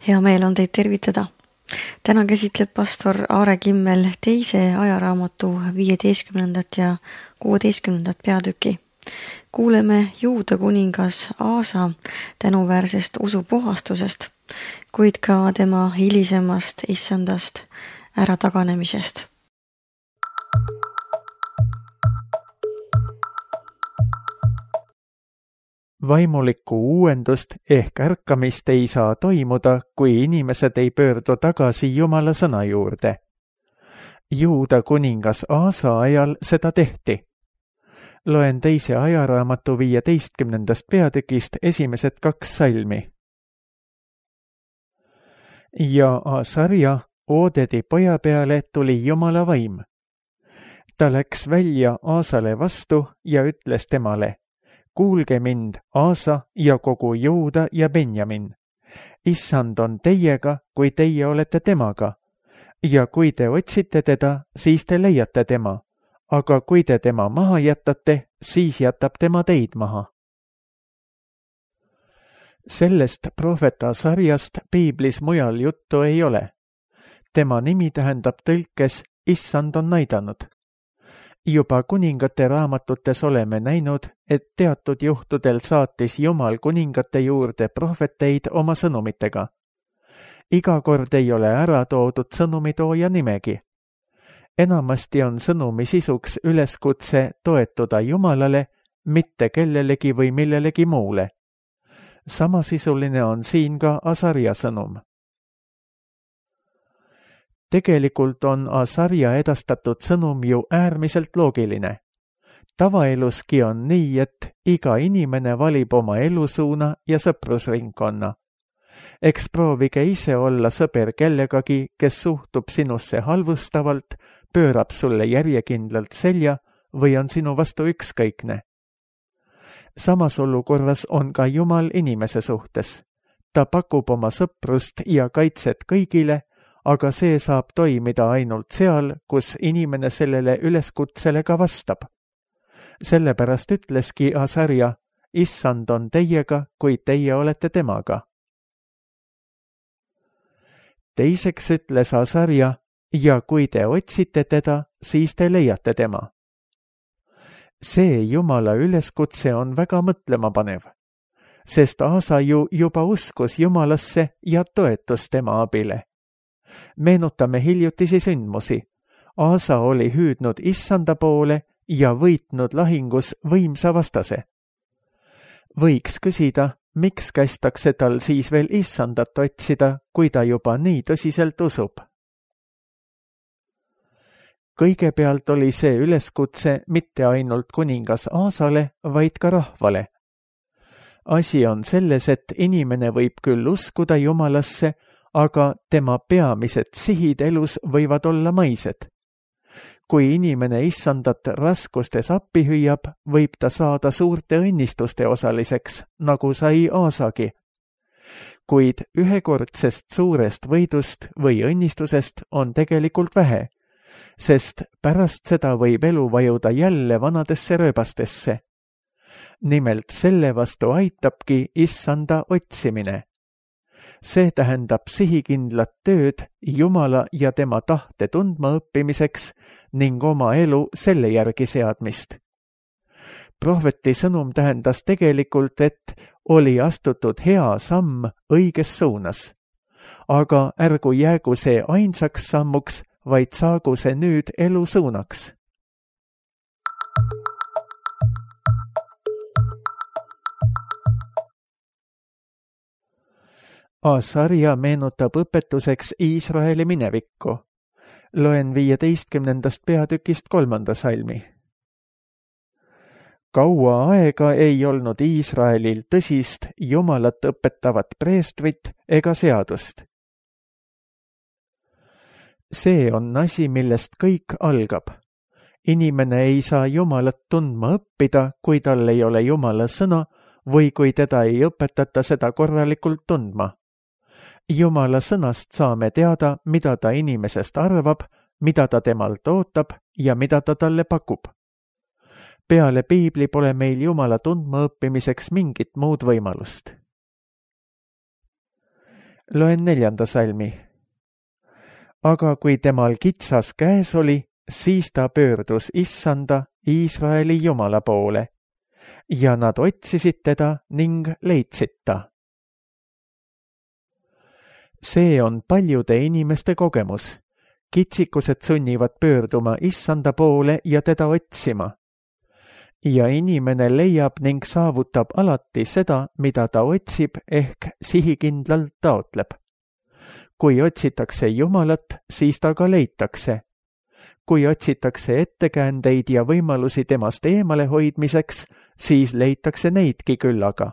Hea meel on teid tervitada. Täna käsitleb pastor Aare Kimmel teise ajaraamatu 15. ja 16. peatüki. Kuuleme Juuda kuningas Aasa tänuväärsest usupuhastusest, kuid ka tema hilisemast issandast ärataganemisest. Vaimulikku uuendust ehk ärkamist ei saa toimuda, kui inimesed ei pöördu tagasi Jumala sõna juurde. Juuda kuningas Aasa ajal seda tehti. Loen teise ajaraamatu 15. peatükist esimesed 2 salmi. Ja Asarja, Oodedi poja peale, tuli Jumala vaim. Ta läks välja Aasale vastu ja ütles temale: kuulge mind, Aasa ja kogu Juuda ja Benjamin. Issand on teiega, kui teie olete temaga. Ja kui te otsite teda, siis te leiate tema. Aga kui te tema maha jätate, siis jätab tema teid maha. Sellest prohveta sarjast piiblis mujal juttu ei ole. Tema nimi tähendab tõlkes Issand on näidanud. Juba kuningate raamatutes oleme näinud, et teatud juhtudel saatis Jumal kuningate juurde prohveteid oma sõnumitega. Iga kord ei ole ära toodud sõnumitooja nimegi. Enamasti on sõnumi sisuks üleskutse toetuda Jumalale, mitte kellelegi või millelegi muule. Samasisuline on siin ka Asarja sõnum. Tegelikult on Asarja edastatud sõnum ju äärmiselt loogiline. Tavaeluski on nii, et iga inimene valib oma elusuuna ja sõprusringkonna. Eks proovige ise olla sõber kellegagi, kes suhtub sinusse halvustavalt, pöörab sulle järjekindlalt selja või on sinu vastu ükskõikne. Samas olukorras on ka Jumal inimese suhtes. Ta pakub oma sõprust ja kaitset kõigile, aga see saab toimida ainult seal, kus inimene sellele üleskutsele ka vastab. Sellepärast ütleski Asarja: Issand on teiega, kui teie olete temaga. Teiseks ütles Asarja: ja kui te otsite teda, siis te leiate tema. See Jumala üleskutse on väga mõtlemapanev, sest Aasa ju juba uskus Jumalasse ja toetus tema abile. Meenutame hiljutisi sündmusi. Aasa oli hüüdnud Issanda poole ja võitnud lahingus võimsa vastase. Võiks küsida, miks kästakse tal siis veel Issandat otsida, kui ta juba nii tõsiselt usub? Kõigepealt oli see üleskutse mitte ainult kuningas Aasale, vaid ka rahvale. Asi on selles, et inimene võib küll uskuda Jumalasse, aga tema peamised sihid elus võivad olla maised. Kui inimene Issandat raskustes appi hüüab, võib ta saada suurte õnnistuste osaliseks, nagu sai Aasagi. Kuid ühekordsest suurest võidust või õnnistusest on tegelikult vähe, sest pärast seda võib elu vajuda jälle vanadesse rööbastesse. Nimelt selle vastu aitabki Issanda otsimine. See tähendab sihikindlat tööd Jumala ja tema tahte tundma õppimiseks ning oma elu selle järgi seadmist. Prohveti sõnum tähendas tegelikult, et oli astutud hea samm õiges suunas. Aga ärgu jäägu see ainsaks sammuks, vaid saagu see nüüd elu suunaks. Asarja meenutab õpetuseks Iisraeli minevikku. Loen 15. peatükist 3. salmi. Kaua aega ei olnud Iisraelil tõsist Jumalat õpetavat preestrit ega seadust. See on asi, millest kõik algab. Inimene ei saa Jumalat tundma õppida, kui tal ei ole Jumala sõna või kui teda ei õpetata seda korralikult tundma. Jumala sõnast saame teada, mida ta inimesest arvab, mida ta temalt ootab ja mida ta talle pakub. Peale piibli pole meil Jumala tundma õppimiseks mingit muud võimalust. Loen 4. salmi. Aga kui temal kitsas käes oli, siis ta pöördus Issanda, Iisraeli Jumala poole ja nad otsisid teda ning leidsid ta. See on paljude inimeste kogemus. Kitsikused sunnivad pöörduma Issanda poole ja teda otsima. Ja inimene leiab ning saavutab alati seda, mida ta otsib ehk sihikindlalt taotleb. Kui otsitakse Jumalat, siis ta ka leitakse. Kui otsitakse ettekäändeid ja võimalusi temast eemale hoidmiseks, siis leitakse neidki küllaga.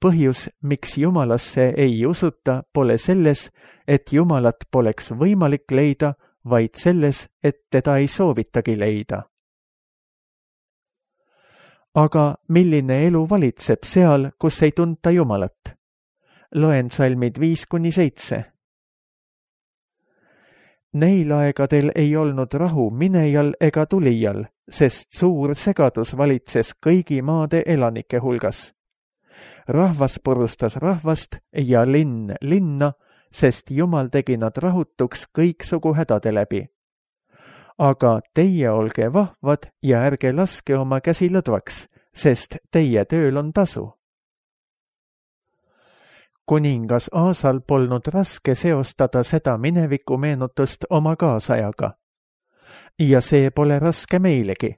Põhjus, miks Jumalasse ei usuta, pole selles, et Jumalat poleks võimalik leida, vaid selles, et teda ei soovitagi leida. Aga milline elu valitseb seal, kus ei tunta Jumalat? Loen salmid 5-7. Neil aegadel ei olnud rahu minejal ega tulijal, sest suur segadus valitses kõigi maade elanike hulgas. Rahvas purustas rahvast ja linn linna, sest Jumal tegi nad rahutuks kõiksugu hädade läbi. Aga teie olge vahvad ja ärge laske oma käsi lõdvaks, sest teie tööl on tasu. Kuningas Aasal polnud raske seostada seda mineviku meenutust oma kaasajaga. Ja see pole raske meilegi.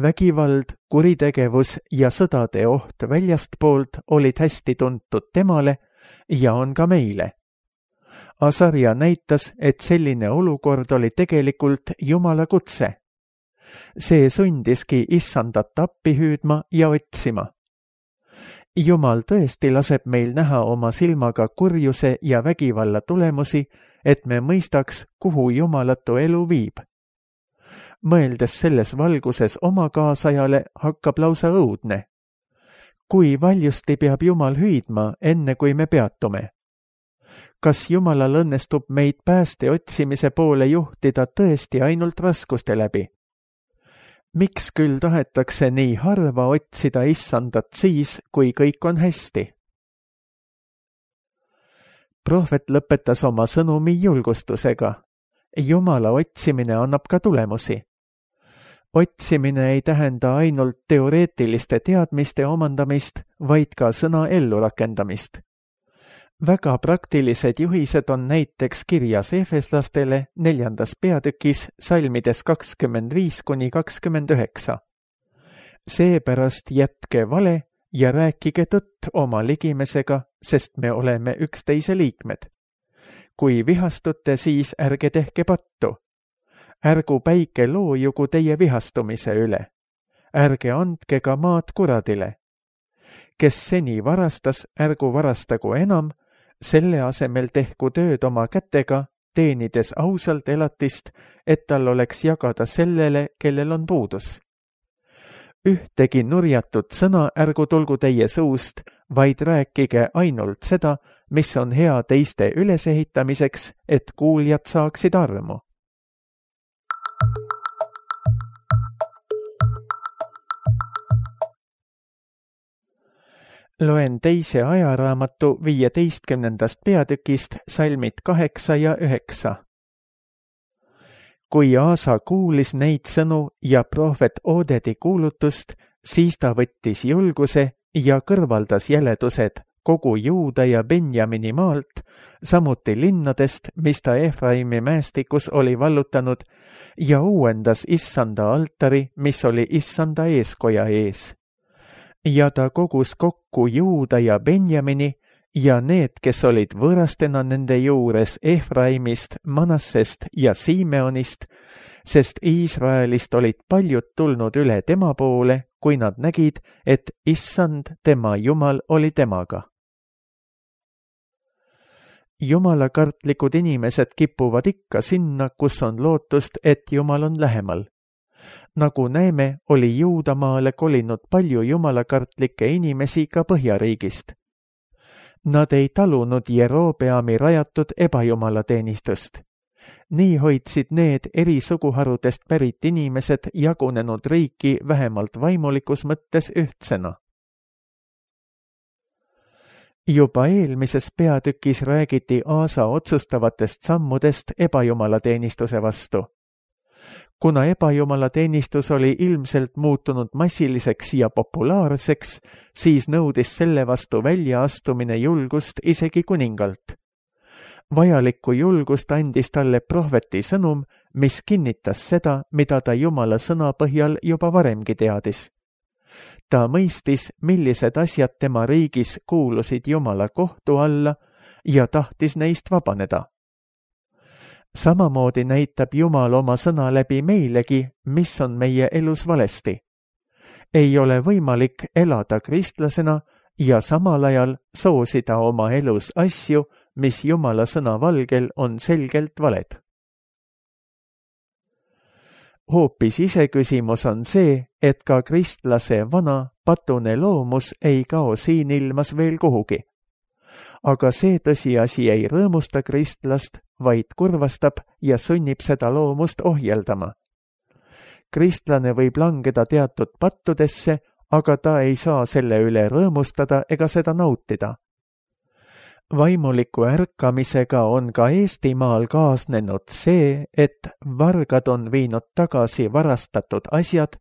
Vägivald, kuritegevus ja sõdade oht väljastpoolt olid hästi tuntud temale ja on ka meile. Asaria näitas, et selline olukord oli tegelikult Jumala kutse. See sundiski Issandat appi hüüdma ja otsima. Jumal tõesti laseb meil näha oma silmaga kurjuse ja vägivalla tulemusi, et me mõistaks, kuhu jumalatu elu viib. Mõeldes selles valguses oma kaasajale hakkab lausa õudne. Kui valjusti peab Jumal hüüdma, enne kui me peatume? Kas Jumalal õnnestub meid pääste otsimise poole juhtida tõesti ainult raskuste läbi? Miks küll tahetakse nii harva otsida Issandat siis, kui kõik on hästi? Prohvet lõpetas oma sõnumi julgustusega. Jumala otsimine annab ka tulemusi. Otsimine ei tähenda ainult teoreetiliste teadmiste omandamist, vaid ka sõna ellurakendamist. Väga praktilised juhised on näiteks kirjas Efeslastele 4. peatükis salmides 25-29. Seepärast jätke vale ja rääkige tõtt oma ligimesega, sest me oleme üksteise liikmed. Kui vihastute, siis ärge tehke pattu. Ärgu päike loojugu teie vihastumise üle. Ärge andke ka maad kuradile. Kes seni varastas, ärgu varastagu enam, selle asemel tehku tööd oma kätega, teenides ausalt elatist, et tal oleks jagada sellele, kellel on puudus. Ühtegi nurjatut sõna ärgu tulgu teie suust, vaid rääkige ainult seda, mis on hea teiste ülesehitamiseks, et kuuljad saaksid armu. Loen 2. ajaraamatu 15. peatükist salmid 8 ja 9. Kui Aasa kuulis neid sõnu ja prohvet Odedi kuulutust, siis ta võttis julguse ja kõrvaldas jäledused kogu Juuda ja Benjamini maalt, samuti linnadest, mis ta Efraimi mäestikus oli vallutanud, ja uuendas Issanda altari, mis oli Issanda eeskoja ees. Ja ta kogus kokku Juuda ja Benjamini ja need, kes olid võõrastena nende juures Efraimist, Manassest ja Simeonist, sest Iisraelist olid paljud tulnud üle tema poole, kui nad nägid, et Issand, tema Jumal, oli temaga. Jumalakartlikud inimesed kipuvad ikka sinna, kus on lootust, et Jumal on lähemal. Nagu näeme, oli Juudamaale kolinud palju jumalakartlikke inimesi ka Põhjariigist. Nad ei talunud Jerobeami rajatud ebajumalateenistust. Nii hoidsid need eri suguharudest pärit inimesed jagunenud riiki vähemalt vaimulikus mõttes ühtsena. Juba eelmises peatükis räägiti Aasa otsustavatest sammudest ebajumalateenistuse vastu. Kuna ebajumalateenistus oli ilmselt muutunud massiliseks ja populaarseks, siis nõudis selle vastu väljaastumine julgust isegi kuningalt. Vajalikku julgust andis talle prohveti sõnum, mis kinnitas seda, mida ta Jumala sõna põhjal juba varemgi teadis. Ta mõistis, millised asjad tema riigis kuulusid Jumala kohtu alla ja tahtis neist vabaneda. Samamoodi näitab Jumal oma sõna läbi meilegi, mis on meie elus valesti. Ei ole võimalik elada kristlasena ja samal ajal soosida oma elus asju, mis Jumala sõna valgel on selgelt valed. Hoopis iseküsimus on see, et ka kristlase vana patune loomus ei kao siin ilmas veel kuhugi. Aga see tõsiasi ei rõõmusta kristlast, vaid kurvastab ja sunnib seda loomust ohjeldama. Kristlane võib langeda teatud pattudesse, aga ta ei saa selle üle rõõmustada ega seda nautida. Vaimuliku ärkamisega on ka Eestimaal kaasnenud see, et vargad on viinud tagasi varastatud asjad,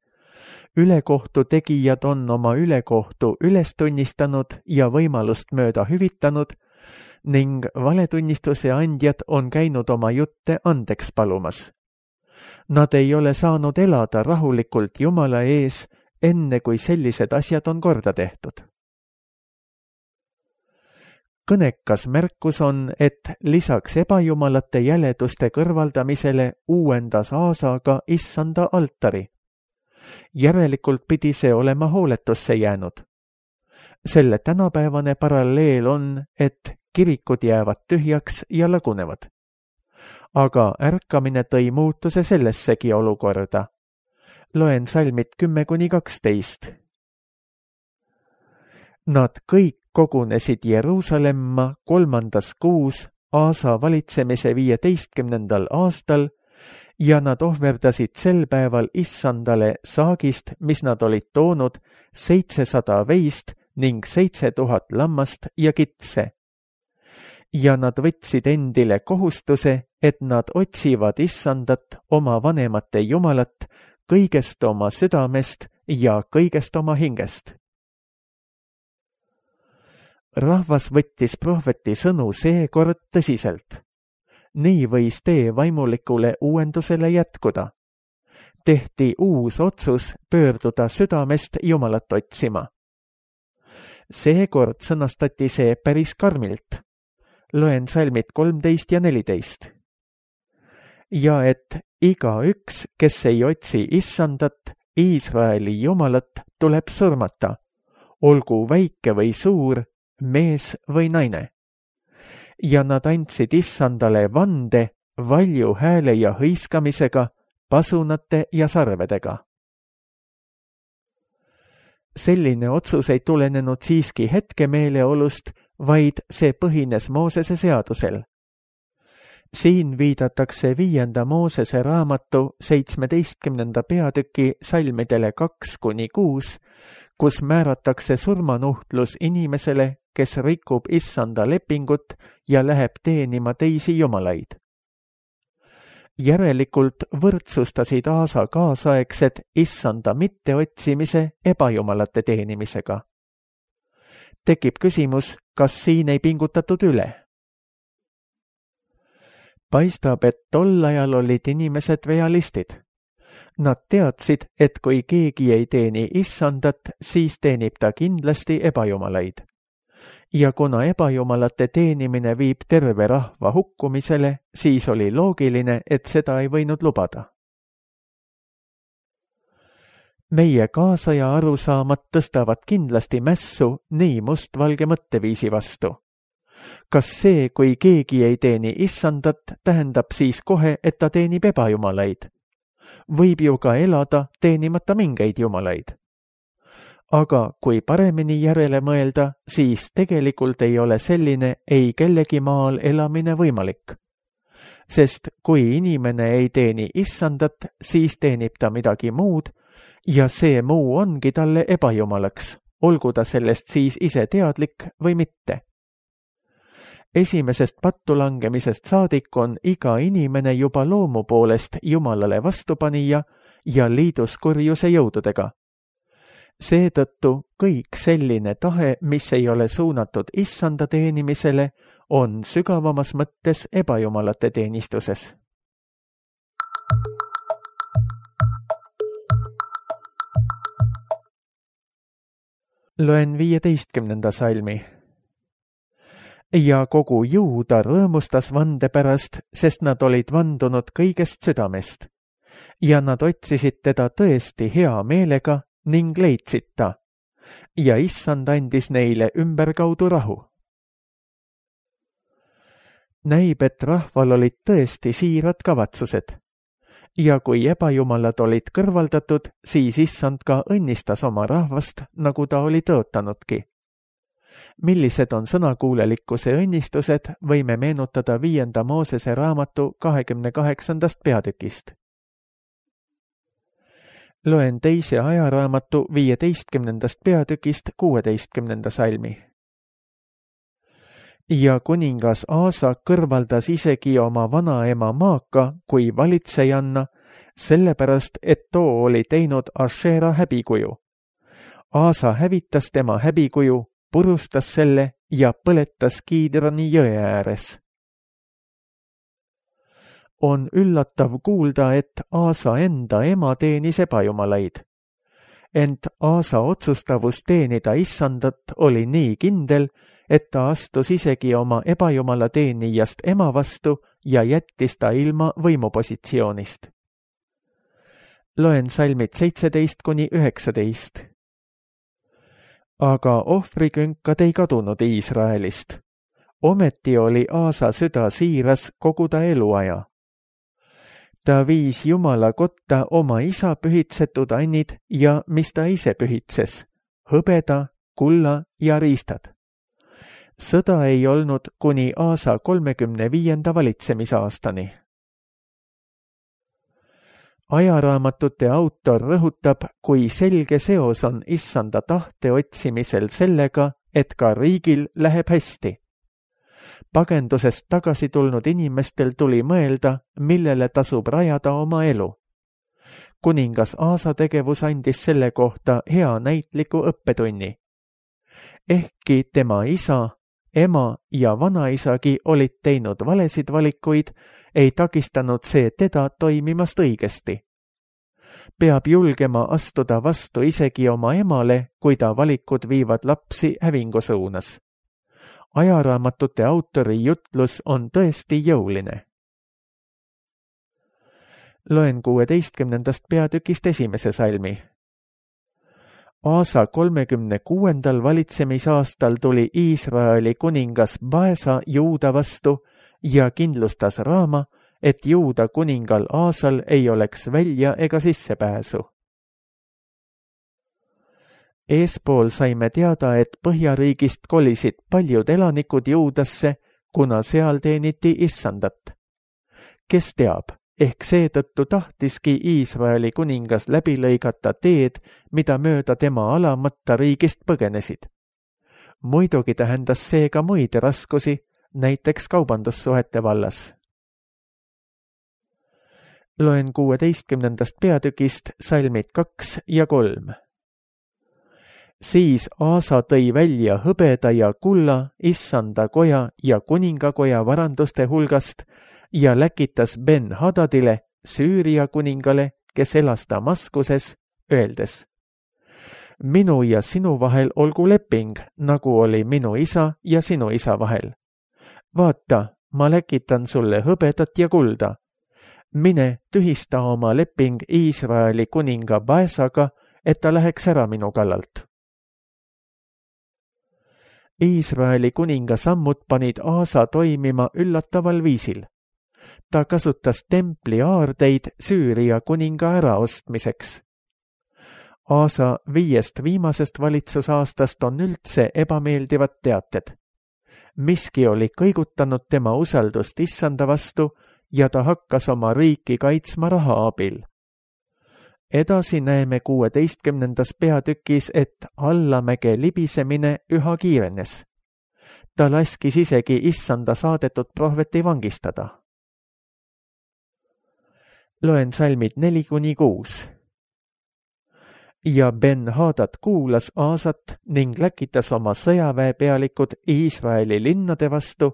ülekohtu tegijad on oma ülekohtu üles tunnistanud ja võimalust mööda hüvitanud ning valetunnistuse andjad on käinud oma jutte andeks palumas. Nad ei ole saanud elada rahulikult Jumala ees, enne kui sellised asjad on korda tehtud. Kõnekas märkus on, et lisaks ebajumalate jäleduste kõrvaldamisele uuendas Aasa ka issanda altari. Järelikult pidi see olema hooletusse jäänud. Selle tänapäevane paralleel on, et kirikud jäävad tühjaks ja lagunevad. Aga ärkamine tõi muutuse sellessegi olukorda. Loen salmid 10-12. Nad kõik kogunesid Jeruusalemma 3. kuus Aasa valitsemise 15. aastal ja nad ohverdasid sel päeval issandale saagist, mis nad olid toonud 700 veist ning 7000 lammast ja kitse. Ja nad võtsid endile kohustuse, et nad otsivad issandat, oma vanemate Jumalat, kõigest oma südamest ja kõigest oma hingest. Rahvas võttis prohveti sõnu seekord tõsiselt. Nii võis tee vaimulikule uuendusele jätkuda. Tehti uus otsus pöörduda südamest Jumalat otsima. Seekord sõnastati see päris karmilt. Loen salmid 13 ja 14. Ja et igaüks, kes ei otsi issandat, Iisraeli Jumalat, tuleb surmata, olgu väike või suur, mees või naine. Ja nad andsid issandale vande valju hääle ja hõiskamisega, pasunate ja sarvedega. Selline otsus ei tulenenud siiski hetkemeeleolust, vaid see põhines Moosese seadusel. Siin viidatakse 5. Moosese raamatu 17. peatüki salmidele 2-6, kus määratakse surmanuhtlus inimesele, kes rikub issanda lepingut ja läheb teenima teisi jumalaid. Järelikult võrdsustasid Aasa kaasaegsed issanda mitteotsimise ebajumalate teenimisega. Tekib küsimus, kas siin ei pingutatud üle? Paistab, et tol ajal olid inimesed realistid. Nad teadsid, et kui keegi ei teeni issandat, siis teenib ta kindlasti ebajumalaid. Ja kuna ebajumalate teenimine viib terve rahva hukkumisele, siis oli loogiline, et seda ei võinud lubada. Meie kaasaja arusaamad tõstavad kindlasti mässu nii mustvalge mõtteviisi vastu. Kas see, kui keegi ei teeni issandat, tähendab siis kohe, et ta teenib ebajumalaid? Võib ju ka elada teenimata mingeid jumalaid. Aga kui paremini järele mõelda, siis tegelikult ei ole selline ei kellegi maal elamine võimalik. Sest kui inimene ei teeni issandat, siis teenib ta midagi muud ja see muu ongi talle ebajumalaks, olgu ta sellest siis ise teadlik või mitte. esimesest pattu langemisest saadik on iga inimene juba loomu poolest Jumalale vastupanija ja liidus kurjuse jõududega. Seetõttu kõik selline tahe, mis ei ole suunatud issanda teenimisele, on sügavamas mõttes ebajumalate teenistuses. Loen 15. salmi. Ja kogu Juuda rõõmustas vande pärast, sest nad olid vandunud kõigest südamest. Ja nad otsisid teda tõesti hea meelega ning leidsid ta. Ja issand andis neile ümberkaudu rahu. Näib, et rahval olid tõesti siirad kavatsused. Ja kui ebajumalad olid kõrvaldatud, siis issand ka õnnistas oma rahvast, nagu ta oli tõotanudki. Millised on sõnakuulelikkuse õnnistused, võime meenutada 5. Moosese raamatu 28. peatükist. Loen 2. ajaraamatu 15. peatükist 16. salmi. Ja kuningas Aasa kõrvaldas isegi oma vanaema Maaka kui valitsejanna, sellepärast, et too oli teinud Ašera häbikuju. Aasa hävitas tema häbikuju, purustas selle ja põletas Kiidrani jõe ääres. On üllatav kuulda, et Aasa enda ema teenis ebajumalaid. Ent Aasa otsustavus teenida issandat oli nii kindel, et ta astus isegi oma ebajumala teenijast ema vastu ja jättis ta ilma võimupositsioonist. Loen salmid 17-19. Aga ohvrikünkad ei kadunud Iisraelist. Ometi oli Aasa süda siiras kogu ta eluaja. Ta viis Jumala kotta oma isa pühitsetud annid ja mis ta ise pühitses, hõbeda, kulla ja riistad. Sõda ei olnud kuni Aasa 35. valitsemisaastani. Ajaraamatute autor rõhutab, kui selge seos on issanda tahte otsimisel sellega, et ka riigil läheb hästi. Pagendusest tagasi tulnud inimestel tuli mõelda, millele tasub rajada oma elu. Kuningas Aasa tegevus andis selle kohta hea näitliku õppetunni. Ehkki tema isa, ema ja vanaisagi olid teinud valesid valikuid, ei takistanud see teda toimimast õigesti. Peab julgema astuda vastu isegi oma emale, kui ta valikud viivad lapsi hävingu suunas. Ajaraamatute autori jutlus on tõesti jõuline. Loen 16. peatükist 1. salmi. Aasa 36. valitsemisaastal tuli Iisraeli kuningas Baesa Juuda vastu ja kindlustas Raama, et Juuda kuningal Aasal ei oleks välja ega sissepääsu. Eespool saime teada, et Põhjariigist kolisid paljud elanikud Juudasse, kuna seal teeniti issandat. Kes teab, ehk seetõttu tahtiski Iisraeli kuningas läbi lõigata teed, mida mööda tema alamata riigist põgenesid. Muidugi tähendas see ka muid raskusi, näiteks kaubandussuhete vallas. Loen 16. peatükist salmid 2 ja 3. Siis Aasa tõi välja hõbeda ja kulla issanda koja ja kuningakoja varanduste hulgast ja läkitas Ben-Hadadile, Süüria kuningale, kes elas Damaskuses, öeldes: Minu ja sinu vahel olgu leping, nagu oli minu isa ja sinu isa vahel. Vaata, ma läkitan sulle hõbedat ja kulda. Mine tühista oma leping Iisraeli kuninga Baesaga, et ta läheks ära minu kallalt. Iisraeli kuninga sammud panid Aasa toimima üllataval viisil. Ta kasutas templi aardeid Süüria kuninga äraostmiseks. Aasa 5 viimasest valitsusaastast on üldse ebameeldivad teated. Miski oli kõigutanud tema usaldust issanda vastu ja ta hakkas oma riiki kaitsma raha abil. Edasi näeme 16. peatükis, et allamäge libisemine üha kiirenes. Ta laskis isegi issanda saadetud prohveti vangistada. Loen salmid 4-6. Ja Ben-Hadad kuulas Aasat ning läkitas oma sõjaväepealikud Iisraeli linnade vastu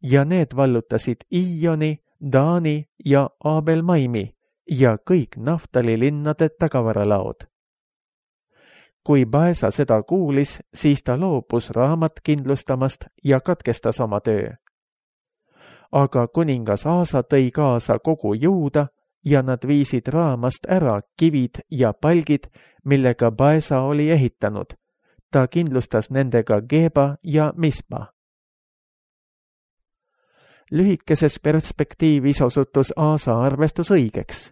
ja need vallutasid Iioni, Daani ja Abel-Maimi ja kõik Naftali linnade tagavaralaod. Kui Baesa seda kuulis, siis ta loobus raamat kindlustamast ja katkestas oma töö. Aga kuningas Aasa tõi kaasa kogu Juuda ja nad viisid raamast ära kivid ja palgid, millega Baesa oli ehitanud. Ta kindlustas nendega Geba ja Mispa. Lühikeses perspektiivis osutus Aasa arvestus õigeks.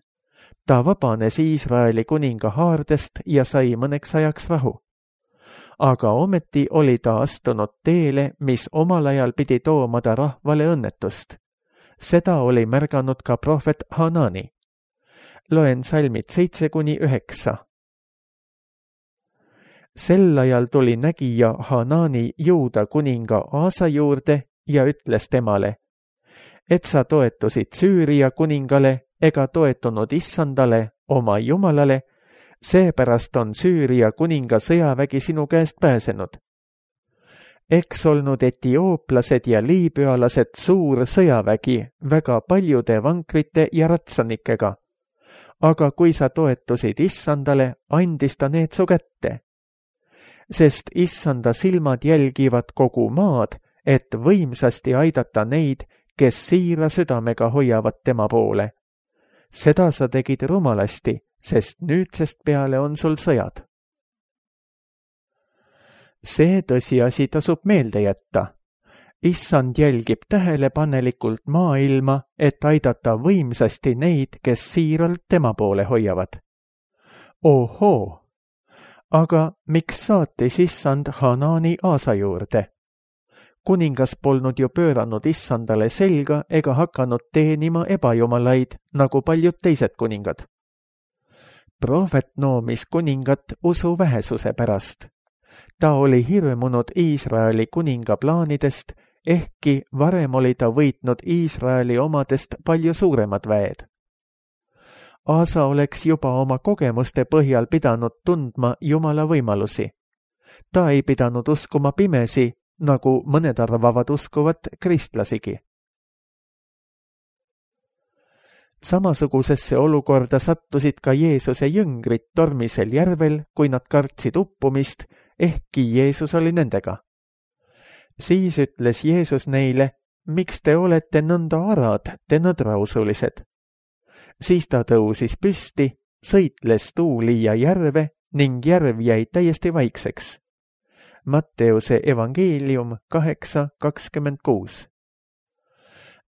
Ta vabanes Iisraeli kuninga haardest ja sai mõneks ajaks rahu. Aga ometi oli ta astunud teele, mis omal ajal pidi tooma ta rahvale õnnetust. Seda oli märganud ka prohvet Hanani. Loen salmid 7-9. Sel ajal tuli nägija Hanani Juuda kuninga Aasa juurde ja ütles temale, et sa toetusid Süüria kuningale ega toetunud issandale, oma jumalale, seepärast on Süüria kuninga sõjavägi sinu käest pääsenud. Eks olnud etiooplased ja liibüalased suur sõjavägi väga paljude vankrite ja ratsanikega. Aga kui sa toetusid issandale, andis ta need su kätte. Sest issanda silmad jälgivad kogu maad, et võimsasti aidata neid, kes siira südamega hoiavad tema poole. Seda sa tegid rumalasti, sest nüüdsest peale on sul sõjad. See tõsiasi tasub meelde jätta. Issand jälgib tähelepanelikult maailma, et aidata võimsasti neid, kes siiralt tema poole hoiavad. Ohoo! Aga miks saatis issand Hanani Aasa juurde? Kuningas polnud ju pööranud issandale selga ega hakanud teenima ebajumalaid, nagu paljud teised kuningad. Prohvet noomis kuningat usu vähesuse pärast. Ta oli hirmunud Iisraeli kuninga plaanidest, ehkki varem oli ta võitnud Iisraeli omadest palju suuremad väed. Aasa oleks juba oma kogemuste põhjal pidanud tundma Jumala võimalusi. Ta ei pidanud uskuma pimesi, nagu mõned arvavad uskuvat kristlasigi. Samasugusesse olukorda sattusid ka Jeesuse jüngrid tormisel järvel, kui nad kartsid uppumist, ehkki Jeesus oli nendega. Siis ütles Jeesus neile, miks te olete nõnda arad, te nõdrausulised? Siis ta tõusis püsti, sõitles tuuli ja järve ning järv jäi täiesti vaikseks. Matteuse evangeelium 8:26.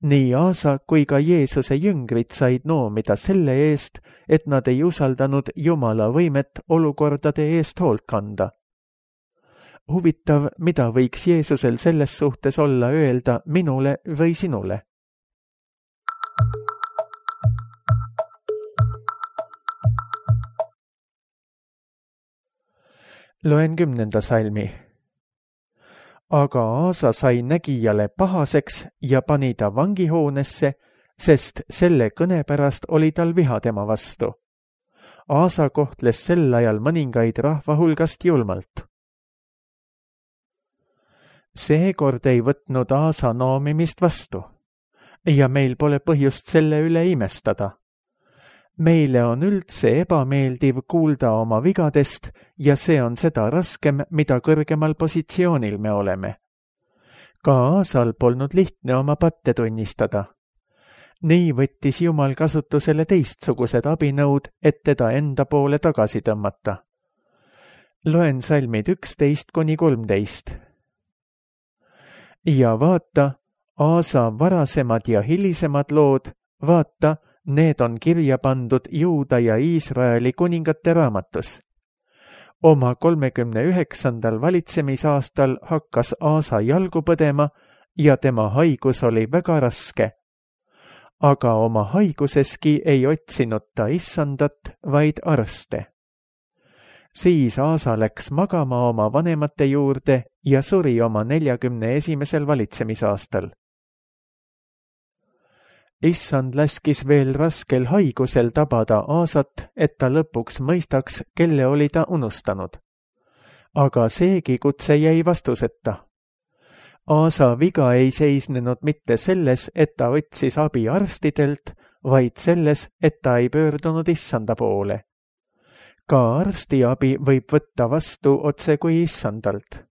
Nii Aasa kui ka Jeesuse jüngrid said noomida selle eest, et nad ei usaldanud Jumala võimet olukordade eest hoolt kanda. Huvitav, mida võiks Jeesusel selles suhtes olla öelda minule või sinule? Loen 10. salmi. Aga Aasa sai nägijale pahaseks ja pani ta vangihoonesse, sest selle kõne pärast oli tal viha tema vastu. Aasa kohtles sel ajal mõningaid rahva hulgast julmalt. Seekord ei võtnud Aasa noomimist vastu ja meil pole põhjust selle üle imestada. Meile on üldse ebameeldiv kuulda oma vigadest ja see on seda raskem, mida kõrgemal positsioonil me oleme. Ka Aasal polnud lihtne oma patte tunnistada. Nii võttis Jumal kasutusele teistsugused abinõud, et teda enda poole tagasi tõmmata. Loen salmid 11-13. Ja vaata, Aasa varasemad ja hilisemad lood, vaata, need on kirja pandud Juuda ja Iisraeli kuningate raamatus. Oma 39. valitsemisaastal hakkas Aasa jalgu põdema ja tema haigus oli väga raske. Aga oma haiguseski ei otsinud ta issandat, vaid arste. Siis Aasa läks magama oma vanemate juurde ja suri oma 41. valitsemisaastal. Issand laskis veel raskel haigusel tabada Aasat, et ta lõpuks mõistaks, kelle oli ta unustanud. Aga seegi kutse jäi vastuseta. Aasa viga ei seisnenud mitte selles, et ta otsis abi arstidelt, vaid selles, et ta ei pöördunud Issanda poole. Ka arstiabi võib võtta vastu otse kui Issandalt.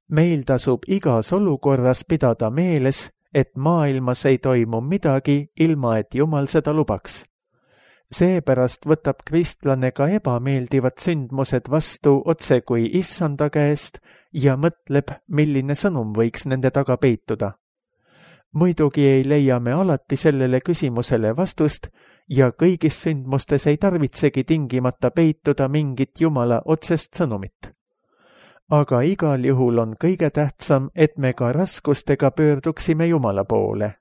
Meil tasub igas olukorras pidada meeles, et maailmas ei toimu midagi, ilma et Jumal seda lubaks. Seepärast võtab kristlane ka ebameeldivad sündmused vastu otse kui Issanda käest ja mõtleb, milline sõnum võiks nende taga peituda. Muidugi ei leia me alati sellele küsimusele vastust ja kõigis sündmustes ei tarvitsegi tingimata peituda mingit Jumala otsest sõnumit. Aga igal juhul on kõige tähtsam, et me ka raskustega pöörduksime Jumala poole.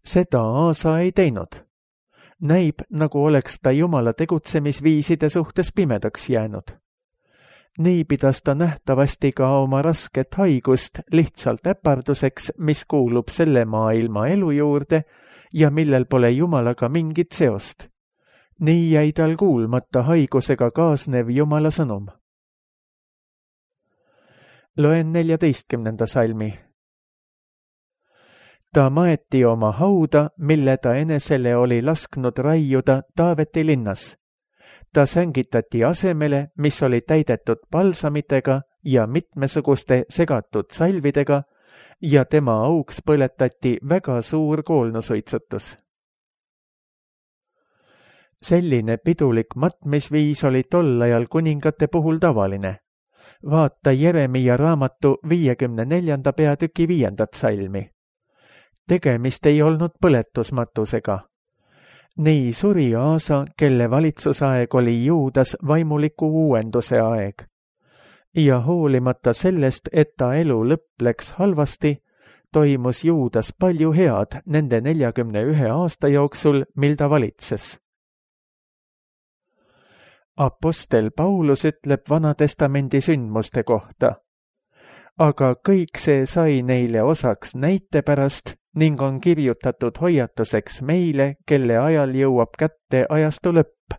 Seda Aasa ei teinud. Näib, nagu oleks ta Jumala tegutsemisviiside suhtes pimedaks jäänud. Nii pidas ta nähtavasti ka oma rasket haigust lihtsalt äparduseks, mis kuulub selle maailma elu juurde ja millel pole Jumalaga mingit seost. Nii jäi tal kuulmata haigusega kaasnev Jumala sõnum. Loen 14. salmi. Ta maeti oma hauda, mille ta enesele oli lasknud raiuda Taaveti linnas. Ta sängitati asemele, mis oli täidetud palsamitega ja mitmesuguste segatud salvidega ja tema auks põletati väga suur koolnusuitsutus. Selline pidulik matmisviis oli tol ajal kuningate puhul tavaline. Vaata Jeremia raamatu 54. peatüki 5. salmi. Tegemist ei olnud põletusmatusega. Nii suri Aasa, kelle valitsusaeg oli Juudas vaimuliku uuenduse aeg. Ja hoolimata sellest, et ta elu lõpp läks halvasti, toimus Juudas palju head nende 41 aasta jooksul, mil ta valitses. Apostel Paulus ütleb Vanatestamendi sündmuste kohta. Aga kõik see sai neile osaks näite pärast ning on kirjutatud hoiatuseks meile, kelle ajal jõuab kätte ajastu lõpp.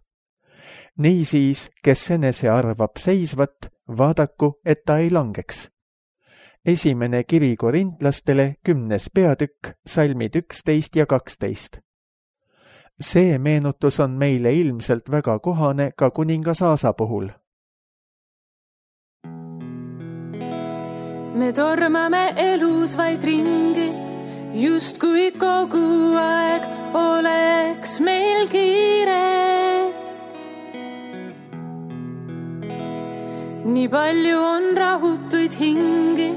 Niisiis, kes enese arvab seisvat, vaadaku, et ta ei langeks. Esimene kiri korintlastele 10. peatükk, salmid 11 ja 12. See meenutus on meile ilmselt väga kohane ka kuningas Aasa puhul. Me tormame elus vaid ringi, justkui kogu aeg oleks meil kiire. Nii palju on rahutuid hingi,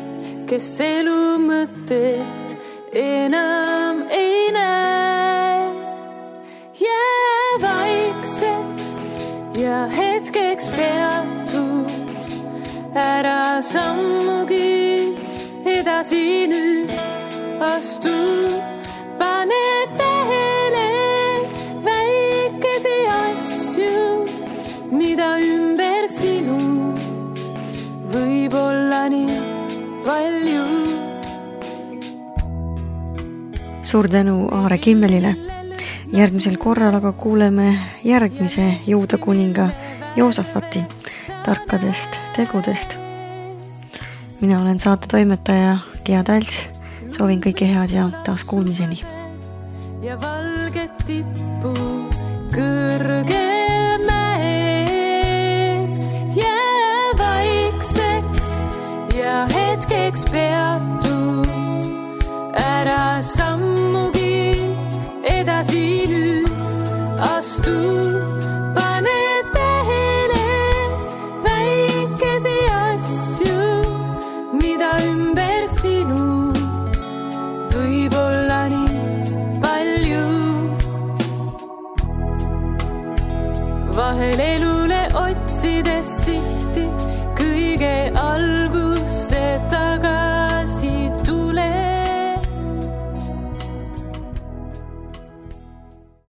kes elu mõtet enam ei näe. Jää vaikseks ja hetkeks peatu, ära sammugi edasi nüüd astu. Pane tähele väikesi asju, mida ümber sinu võib olla nii palju. Suur tänu Aare Kimmelile. Järgmisel korral aga kuuleme järgmise Juuda kuninga Joosafati tarkadest tegudest. Mina olen saate toimetaja Gea Talts. Soovin kõike head ja taas kuulmiseni. Ja valget tippu kõrgel mäel. Jää vaikseks ja hetkeks peatu, ära sammugi edasi nüüd astu. Pane tähele väikesi asju, mida ümber sinu võib olla nii palju. Vahel elule otsides sihti kõige algus